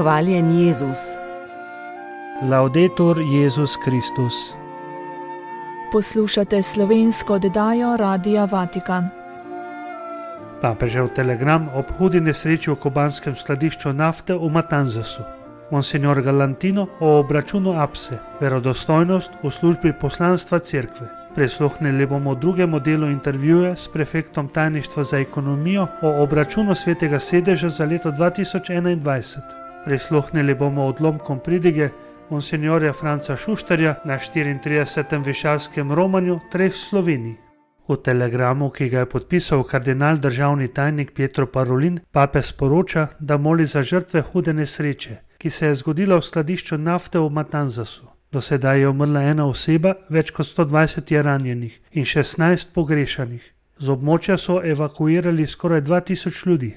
Hvaljen Jezus. Laudetur Jezus Kristus. Poslušate slovensko oddajo Radia Vatikan. Papežev telegram ob hudi nesreči v kubanskem skladišču nafte v Matanzasu. Monsignor Galantino o obračunu APSE, verodostojnost v službi poslanstva cerkve. Prisluhnili bomo drugemu delu intervjuja s prefektom tajništva za ekonomijo o obračunu Svetega sedeža za leto 2021. Prisluhnili bomo odlomkom pridige monsignorja Franca Šuštarja na 34. višavskem romanju treh Slovenij. V telegramu, ki ga je podpisal kardinal državni tajnik Pietro Parolin, papež sporoča, da moli za žrtve hude nesreče, ki se je zgodila v skladišču nafte v Matanzasu. Do sedaj je umrla ena oseba, več kot 120 je ranjenih in 16 pogrešanih. Z območja so evakuirali skoraj 2000 ljudi.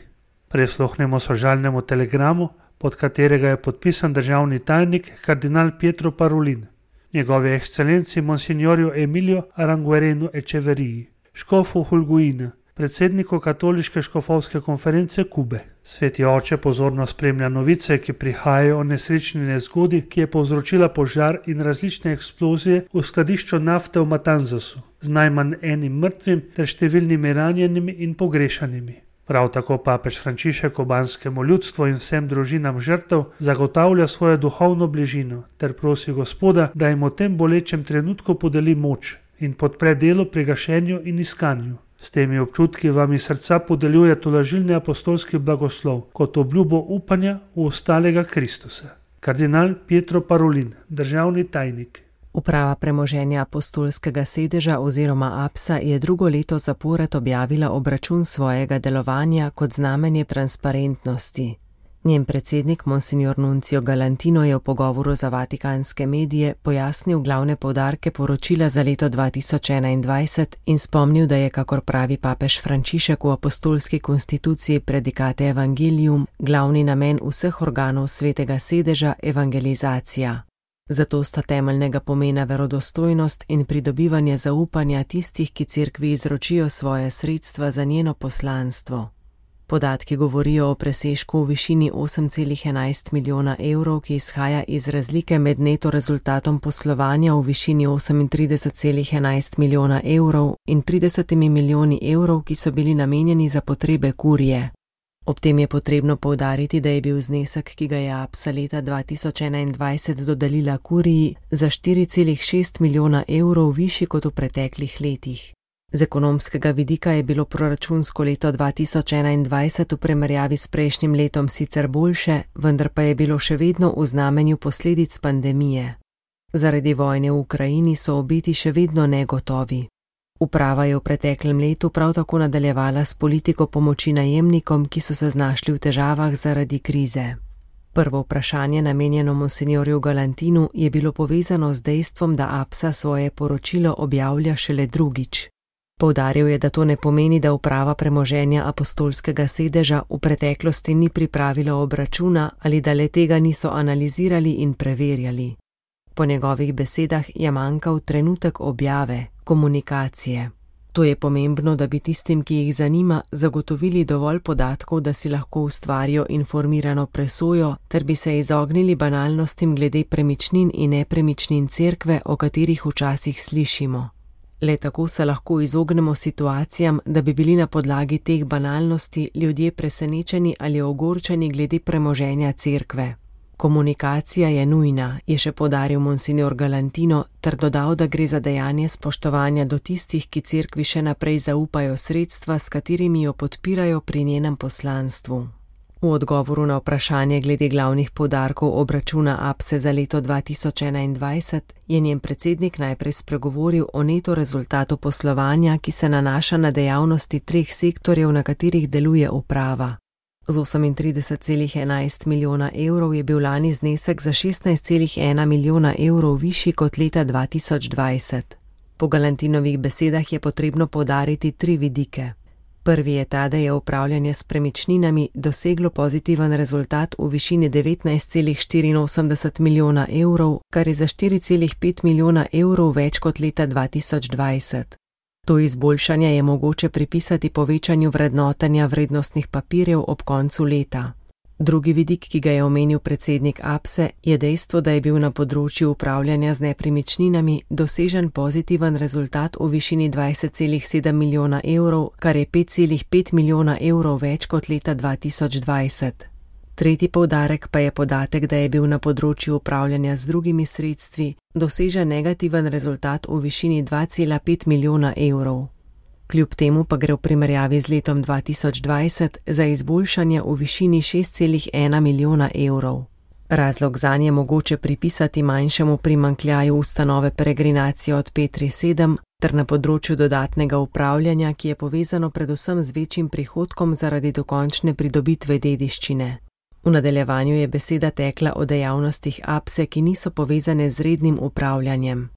Prisluhnemo sožalnemu telegramu, pod katerega je podpisan državni tajnik kardinal Pietro Parolin. Njegovi ekscelenci monsignorju Emilio Aranguerenu Echeveriji, škofu Hulguina, predsedniku katoliške škofovske konference Kube. Sveti oče pozorno spremlja novice, ki prihajajo o nesrečni nezgodi, ki je povzročila požar in različne eksplozije v skladišču nafte v Matanzasu, z najmanj enim mrtvim ter številnimi ranjenimi in pogrešanimi. Prav tako papež Frančišek kubanskemu ljudstvu in vsem družinam žrtev zagotavlja svojo duhovno bližino ter prosi Gospoda, da jim v tem bolečem trenutku podeli moč in podpre delo pri gašenju in iskanju. S temi občutki vam iz srca podeljuje tolažilni apostolski blagoslov kot obljubo upanja v ostalega Kristusa. Kardinal Pietro Parolin, državni tajnik. Uprava premoženja apostolskega sedeža oziroma APSA je drugo leto zapored objavila obračun svojega delovanja kot znamenje transparentnosti. Njen predsednik monsignor Nuncio Galantino je v pogovoru za vatikanske medije pojasnil glavne poudarke poročila za leto 2021 in spomnil, da je, kakor pravi papež Frančišek v apostolski konstituciji Predicate Evangelium, glavni namen vseh organov Svetega sedeža evangelizacija. Zato sta temeljnega pomena verodostojnost in pridobivanje zaupanja tistih, ki cerkvi izročijo svoje sredstva za njeno poslanstvo. Podatki govorijo o presežku v višini 8,11 milijona evrov, ki izhaja iz razlike med neto rezultatom poslovanja v višini 38,11 milijona evrov in 30 milijoni evrov, ki so bili namenjeni za potrebe kurije. Ob tem je potrebno poudariti, da je bil znesek, ki ga je APSA leta 2021 dodelila kuriji, za 4,6 milijona evrov višji kot v preteklih letih. Z ekonomskega vidika je bilo proračunsko leto 2021 v primerjavi s prejšnjim letom sicer boljše, vendar pa je bilo še vedno v znamenju posledic pandemije. Zaradi vojne v Ukrajini so obeti še vedno negotovi. Uprava je v preteklem letu prav tako nadaljevala s politiko pomoči najemnikom, ki so se znašli v težavah zaradi krize. Prvo vprašanje, namenjeno monsignorju Galantinu, je bilo povezano z dejstvom, da APSA svoje poročilo objavlja šele drugič. Poudaril je, da to ne pomeni, da uprava premoženja apostolskega sedeža v preteklosti ni pripravila obračuna ali da le tega niso analizirali in preverjali. Po njegovih besedah je manjkal trenutek objave, komunikacije. To je pomembno, da bi tistim, ki jih zanima, zagotovili dovolj podatkov, da si lahko ustvarijo informirano presojo, ter bi se izognili banalnostim glede premičnin in nepremičnin cerkve, o katerih včasih slišimo. Le tako se lahko izognemo situacijam, da bi bili na podlagi teh banalnosti ljudje presenečeni ali ogorčeni glede premoženja cerkve. Komunikacija je nujna, je še poudaril monsignor Galantino, ter dodal, da gre za dejanje spoštovanja do tistih, ki cerkvi še naprej zaupajo sredstva, s katerimi jo podpirajo pri njenem poslanstvu. V odgovoru na vprašanje glede glavnih poudarkov obračuna APSE za leto 2021 je njen predsednik najprej spregovoril o neto rezultatu poslovanja, ki se nanaša na dejavnosti treh sektorjev, na katerih deluje uprava. Z 38,11 milijona evrov je bil lani znesek za 16,1 milijona evrov višji kot leta 2020. Po Galantinovih besedah je potrebno poudariti tri vidike. Prvi je ta, da je upravljanje s premičninami doseglo pozitiven rezultat v višini 19,84 milijona evrov, kar je za 4,5 milijona evrov več kot leta 2020. To izboljšanje je mogoče pripisati povečanju vrednotenja vrednostnih papirjev ob koncu leta. Drugi vidik, ki ga je omenil predsednik APSE, je dejstvo, da je bil na področju upravljanja z nepremičninami dosežen pozitiven rezultat v višini 20,7 milijona evrov, kar je 5,5 milijona evrov več kot leta 2020. Tretji poudarek pa je podatek, da je bil na področju upravljanja z drugimi sredstvi dosežen negativen rezultat v višini 2,5 milijona evrov. Kljub temu pa gre v primerjavi z letom 2020 za izboljšanje v višini 6,1 milijona evrov. Razlog zanje je mogoče pripisati manjšemu primanjkljaju ustanove Peregrinacije od Petri 7 ter na področju dodatnega upravljanja, ki je povezano predvsem z večjim prihodkom zaradi dokončne pridobitve dediščine. V nadaljevanju je beseda tekla o dejavnostih APSE, ki niso povezane z rednim upravljanjem.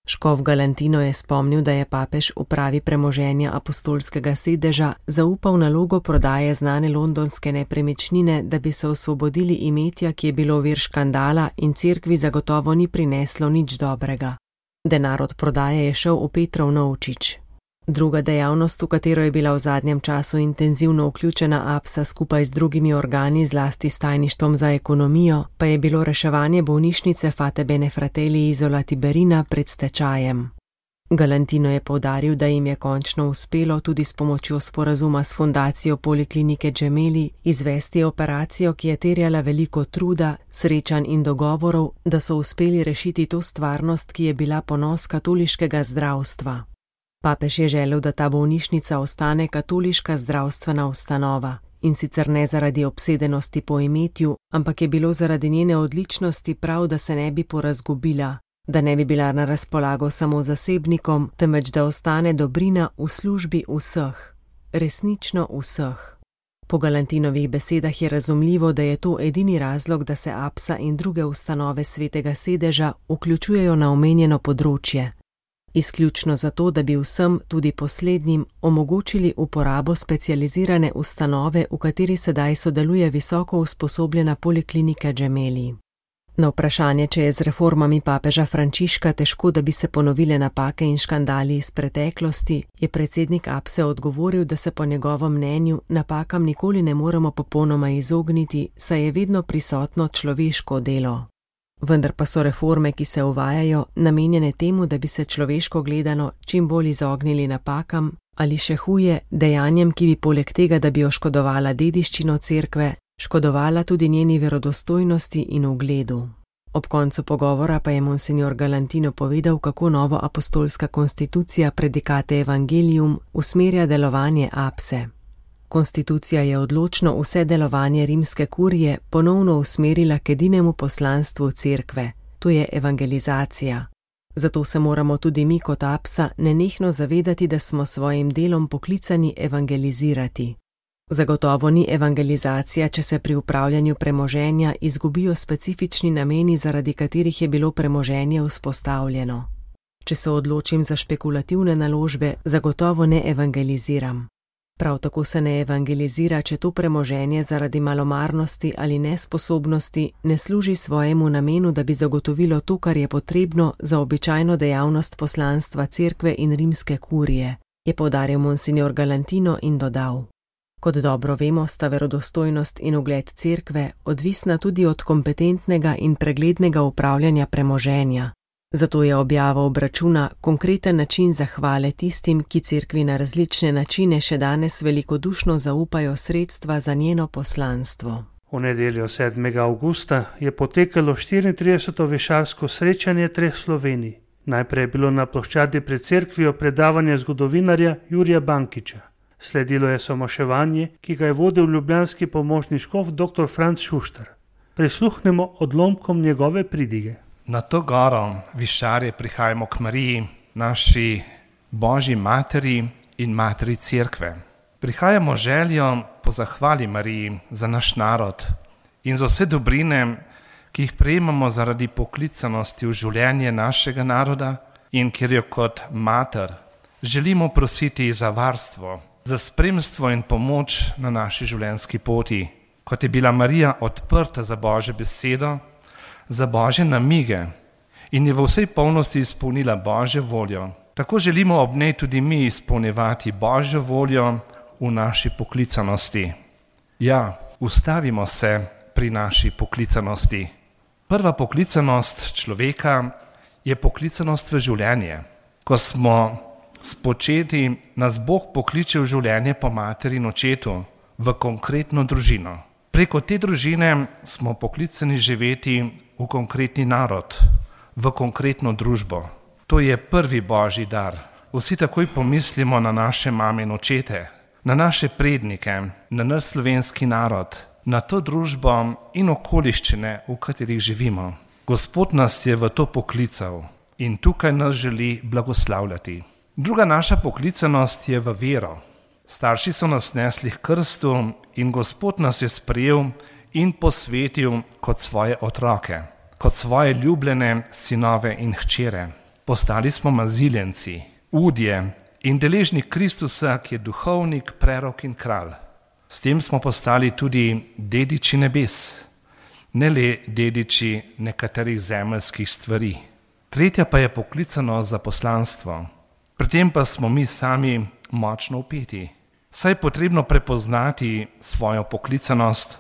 Škof Galantino je spomnil, da je papež upravi premoženja apostolskega sedeža zaupal nalogo prodaje znane londonske nepremičnine, da bi se osvobodili imetja, ki je bilo vir škandala in cerkvi zagotovo ni prineslo nič dobrega. Denar od prodaje je šel v Petrov novčič. Druga dejavnost, v katero je bila v zadnjem času intenzivno vključena APSA skupaj z drugimi organi, zlasti s tajništvom za ekonomijo, pa je bilo reševanje bolnišnice Fate Bene Fratelli Isola Tiberina pred stečajem. Galantino je poudaril, da jim je končno uspelo tudi s pomočjo sporazuma s fundacijo Poliklinike Gemelli izvesti operacijo, ki je terjala veliko truda, srečanj in dogovorov, da so uspeli rešiti to stvarnost, ki je bila ponos katoliškega zdravstva. Papež je želel, da ta bolnišnica ostane katoliška zdravstvena ustanova, in sicer ne zaradi obsedenosti po imetju, ampak je bilo zaradi njene odličnosti prav, da se ne bi porazgubila, da ne bi bila na razpolago samo zasebnikom, temveč da ostane dobrina v službi vseh, resnično vseh. Po Galantinovih besedah je razumljivo, da je to edini razlog, da se APSA in druge ustanove Svetega sedeža vključujejo na omenjeno področje. Izključno zato, da bi vsem, tudi poslednjim, omogočili uporabo specializirane ustanove, v kateri sedaj sodeluje visoko usposobljena Poliklinika Gemelli. Na vprašanje, če je z reformami papeža Frančiška težko, da bi se ponovile napake in škandali iz preteklosti, je predsednik APSE odgovoril, da se po njegovem mnenju napakam nikoli ne moremo popolnoma izogniti, saj je vedno prisotno človeško delo. Vendar pa so reforme, ki se uvajajo, namenjene temu, da bi se človeško gledano čim bolj izognili napakam ali še huje dejanjem, ki bi poleg tega, da bi oškodovala dediščino cerkve, škodovala tudi njeni verodostojnosti in ugledu. Ob koncu pogovora pa je monsignor Galantino povedal, kako nova apostolska konstitucija Predicate Evangelium usmerja delovanje APSE. Konstitucija je odločno vse delovanje rimske kurije ponovno usmerila k edinemu poslanstvu cerkve, to je evangelizacija. Zato se moramo tudi mi kot APSA nenehno zavedati, da smo svojim delom poklicani evangelizirati. Zagotovo ni evangelizacija, če se pri upravljanju premoženja izgubijo specifični nameni, zaradi katerih je bilo premoženje vzpostavljeno. Če se odločim za špekulativne naložbe, zagotovo ne evangeliziram. Prav tako se ne evangelizira, če to premoženje zaradi malomarnosti ali nesposobnosti ne služi svojemu namenu, da bi zagotovilo to, kar je potrebno za običajno dejavnost poslanstva cerkve in rimske kurije, je poudaril monsignor Galantino in dodal. Kot dobro vemo, sta verodostojnost in ugled cerkve odvisna tudi od kompetentnega in preglednega upravljanja premoženja. Zato je objava obračuna konkreten način zahvale tistim, ki cerkvi na različne načine še danes velikodušno zaupajo sredstva za njeno poslanstvo. V nedeljo 7. avgusta je potekalo 34. višarsko srečanje treh Slovenij. Najprej je bilo na ploščadi pred cerkvijo predavanje zgodovinarja Jurija Bankiča. Sledilo je somoševanje, ki ga je vodil ljubljanski pomožni škof dr. Franc Šuštar. Prisluhnemo odlomkom njegove pridige. Na to goro višarje prihajamo k Mariji, naši Božji materi in materi cerkve. Prihajamo željo po zahvali Mariji za naš narod in za vse dobrine, ki jih prejemamo zaradi poklicanosti v življenje našega naroda in kjer jo kot mater želimo prositi za varstvo, za spremstvo in pomoč na naši življenjski poti. Kot je bila Marija odprta za Božjo besedo, za Božje namige in je v vsej polnosti izpolnila Božjo voljo. Tako želimo ob njej tudi mi izpolnjevati Božjo voljo v naši poklicanosti. Ja, ustavimo se pri naši poklicanosti. Prva poklicanost človeka je poklicanost v življenje. Ko smo spočeti, nas Bog pokliče v življenje po materi in očetu, v konkretno družino. Preko te družine smo poklicani živeti v konkretni narod, v konkretno družbo. To je prvi božji dar. Vsi takoj pomislimo na naše mame in očete, na naše prednike, na naš slovenski narod, na to družbo in okoliščine, v katerih živimo. Gospod nas je v to poklical in tukaj nas želi blagoslavljati. Druga naša poklicanost je v vero. Starši so nas nesli k krstu in Gospod nas je sprejel in posvetil kot svoje otroke, kot svoje ljubljene sinove in hčere. Postali smo maziljenci, udje in deležni Kristusa, ki je duhovnik, prerok in kralj. S tem smo postali tudi dediči nebes, ne le dediči nekaterih zemeljskih stvari. Tretja pa je poklicanost za poslanstvo. Pri tem pa smo mi sami močno vpeti. Saj je potrebno prepoznati svojo poklicanost,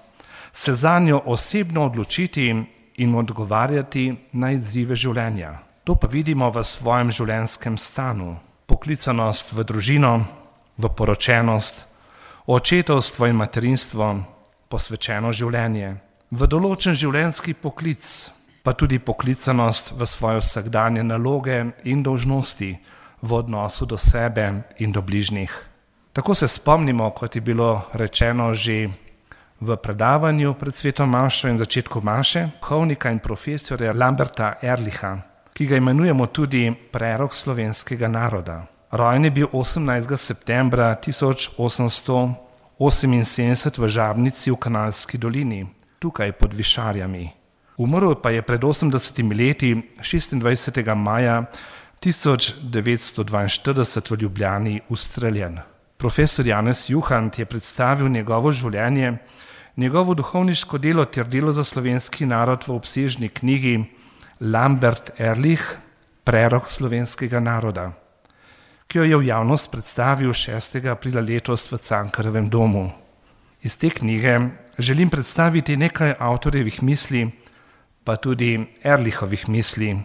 se zanjo osebno odločiti in odgovarjati na izzive življenja. To pa vidimo v svojem življenjskem stanu. Poklicanost v družino, v poročenost, očetovstvo in materinstvo, posvečeno življenje, v določen življenjski poklic, pa tudi poklicanost v svoje vsakdanje naloge in dolžnosti v odnosu do sebe in do bližnjih. Tako se spomnimo, kot je bilo rečeno že v predavanju pred sveto mašo in začetku maše, duhovnika in profesorja Lamberta Ehrlicha, ki ga imenujemo tudi prerok slovenskega naroda. Rojen je bil 18. septembra 1878 v Žabnici v Kanalski dolini, tukaj pod Višarjami. Umrl pa je pred 80 leti 26. maja 1942 v Ljubljani ustreljen. Profesor Janez Juhant je predstavil njegovo življenje, njegovo duhovniško delo ter delo za slovenski narod v obsežni knjigi Lambert Ehrlich, prerok slovenskega naroda, ki jo je v javnost predstavil 6. aprila letos v Cankarjevem domu. Iz te knjige želim predstaviti nekaj avtorjevih misli, pa tudi Ehrlichovih misli,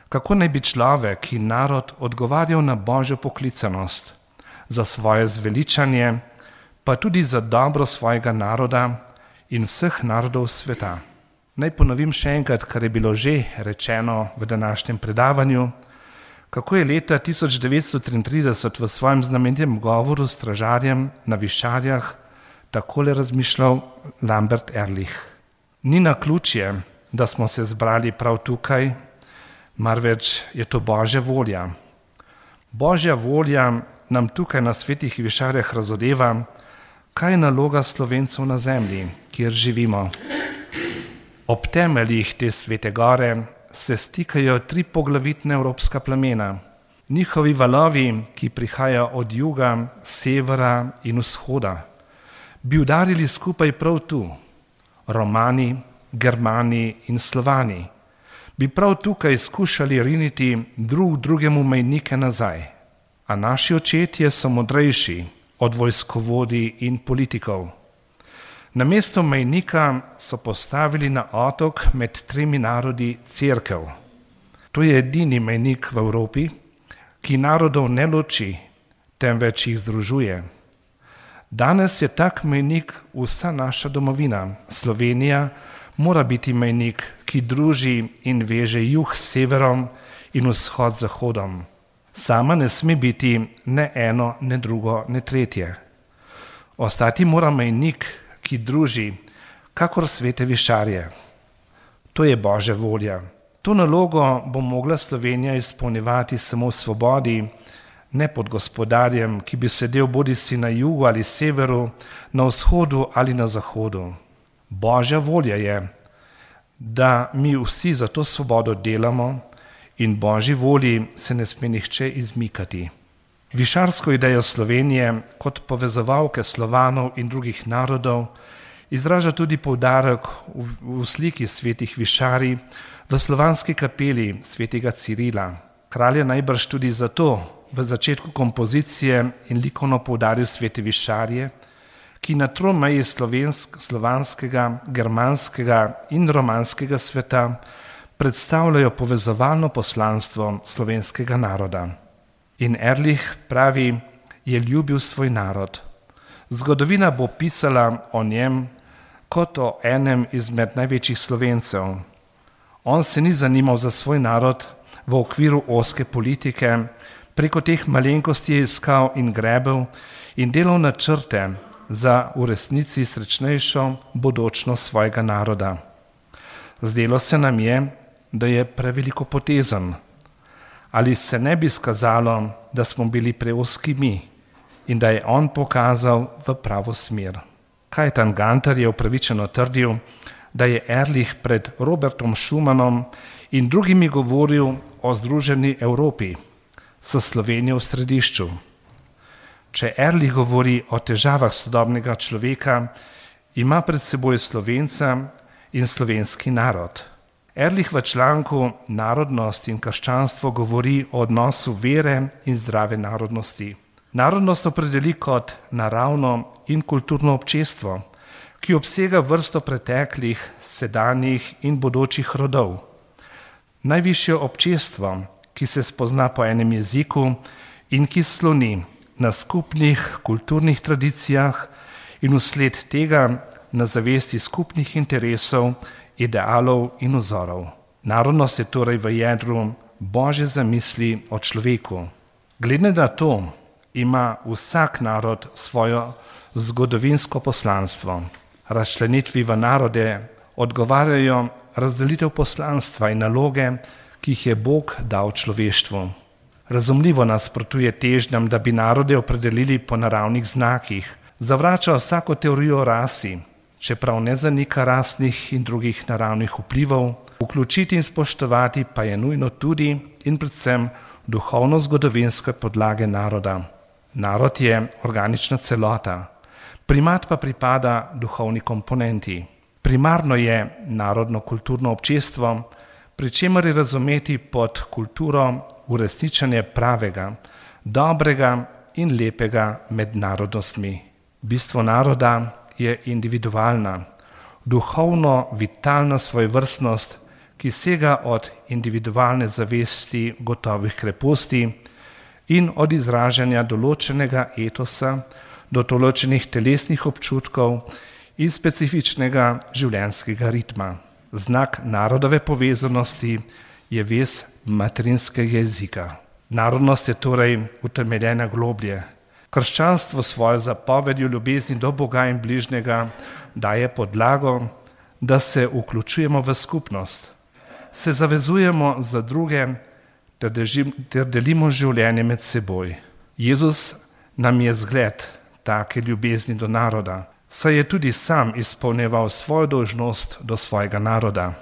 kako naj bi človek in narod odgovarjal na božjo poklicanost, za svoje zveličanje, pa tudi za dobro svojega naroda in vseh narodov sveta. Naj ponovim še enkrat, kar je bilo že rečeno v današnjem predavanju, kako je leta 1933 v svojem znamenitem govoru stražarjem na Višarjah takole razmišljal Lambert Ehrlich. Ni naključje, da smo se zbrali prav tukaj, marveč je to božja volja. Božja volja nam tukaj na svetih Višarjah razodeva, kaj je naloga Slovencev na zemlji, kjer živimo. Ob temeljih te svete gore se stikajo 3 poglavitne evropska plemena. Njihovi valovi, ki prihajajo od juga, severa in vzhoda, bi udarili skupaj prav tu. Romani, Germani in Slovani bi prav tukaj skušali riniti drug drugemu mejnike nazaj. A naši očetje so modrejši od vojskovodij in politikov. Namesto mejnika so postavili na otok med 3 narodi cerkev. To je edini mejnik v Evropi, ki narodov ne loči, temveč jih združuje. Danes je tak mejnik vsa naša domovina. Slovenija mora biti mejnik, ki druži in veže jug s severom in vzhod z zahodom. Sama ne sme biti ne eno, ne drugo, ne tretje. Ostati mora mejnik, ki druži, kakor svete Višarje. To je božja volja. To nalogo bo mogla Slovenija izpolnjevati samo v svobodi, ne pod gospodarjem, ki bi sedel bodisi na jugu ali severu, na vzhodu ali na zahodu. Božja volja je, da mi vsi za to svobodo delamo in božji volji se ne sme nihče izmikati. Višarsko idejo Slovenije kot povezovalke Slovanov in drugih narodov izraža tudi poudarek v sliki svetih Višarij v slovanski kapeli svetega Cirila. Kralj je najbrž tudi zato v začetku kompozicije in likovno poudaril svete Višarje, ki na tromeji slovanskega, germanskega in romanskega sveta predstavljajo povezovalno poslanstvo slovenskega naroda. In Ehrlich pravi, je ljubil svoj narod. Zgodovina bo pisala o njem kot o enem izmed največjih Slovencev. On se ni zanimal za svoj narod v okviru ozke politike, preko teh malenkosti je iskal in grebel in delal načrte za v resnici srečnejšo bodočnost svojega naroda. Zdelo se nam je, da je prevelikopotezen. Ali se ne bi skazalo, da smo bili preozki mi in da je on pokazal v pravo smer. Kajetan Gantar je upravičeno trdil, da je Ehrlich pred Robertom Schumannom in drugimi govoril o združeni Evropi, s Slovenijo v središču. Če Ehrlich govori o težavah sodobnega človeka, ima pred seboj Slovenca in slovenski narod. Ehrlich v članku Narodnost in krščanstvo govori o odnosu vere in zdrave narodnosti. Narodnost opredeli kot naravno in kulturno občestvo, ki obsega vrsto preteklih, sedanjih in bodočih rodov. Najvišje občestvo, ki se spozna po enem jeziku in ki sloni na skupnih kulturnih tradicijah in vsled tega na zavesti skupnih interesov, idealov in vzorov. Narodnost je torej v jedru Božje zamisli o človeku. Glede na to ima vsak narod svojo zgodovinsko poslanstvo. Razčlenitvi v narode odgovarjajo razdelitev poslanstva in naloge, ki jih je Bog dal človeštvu. Razumljivo nasprotuje težnjam, da bi narode opredelili po naravnih znakih, zavrača vsako teorijo o rasi, čeprav ne zanika rasnih in drugih naravnih vplivov, vključiti in spoštovati pa je nujno tudi in predvsem duhovno-zgodovinske podlage naroda. Narod je organična celota, primat pa pripada duhovni komponenti. Primarno je narodno-kulturno občestvo, pri čemer je razumeti pod kulturo uresničenje pravega, dobrega in lepega med narodnostmi. Bistvo naroda je individualna, duhovno vitalna svojevrstnost, ki sega od individualne zavesti gotovih kreposti in od izražanja določenega etosa do določenih telesnih občutkov in specifičnega življenjskega ritma. Znak narodove povezanosti je vez materinskega jezika. Narodnost je torej utemeljena globlje. Krščanstvo svojo zapovedjo ljubezni do Boga in bližnjega daje podlago, da se vključujemo v skupnost, se zavezujemo za druge ter delimo življenje med seboj. Jezus nam je zgled take ljubezni do naroda, saj je tudi sam izpolnjeval svojo dolžnost do svojega naroda.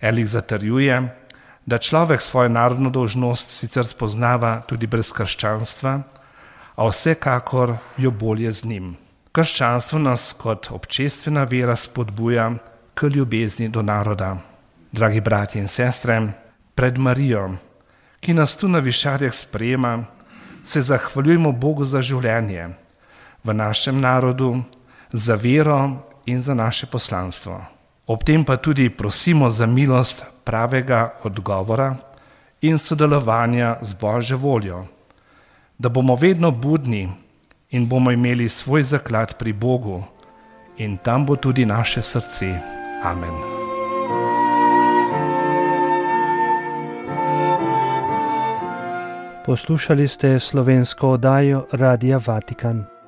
Ehrlich zatrjuje, da človek svojo narodno dolžnost sicer spoznava tudi brez krščanstva, a vsekakor jo bolje z njim. Krščanstvo nas kot občestvena vera spodbuja k ljubezni do naroda. Dragi bratje in sestre, pred Marijo, ki nas tu na Višarjah sprejema, se zahvaljujemo Bogu za življenje v našem narodu, za vero in za naše poslanstvo. Ob tem pa tudi prosimo za milost pravega odgovora in sodelovanja z Božjo voljo, da bomo vedno budni in bomo imeli svoj zaklad pri Bogu in tam bo tudi naše srce. Amen. Poslušali ste slovensko oddajo Radia Vatikan.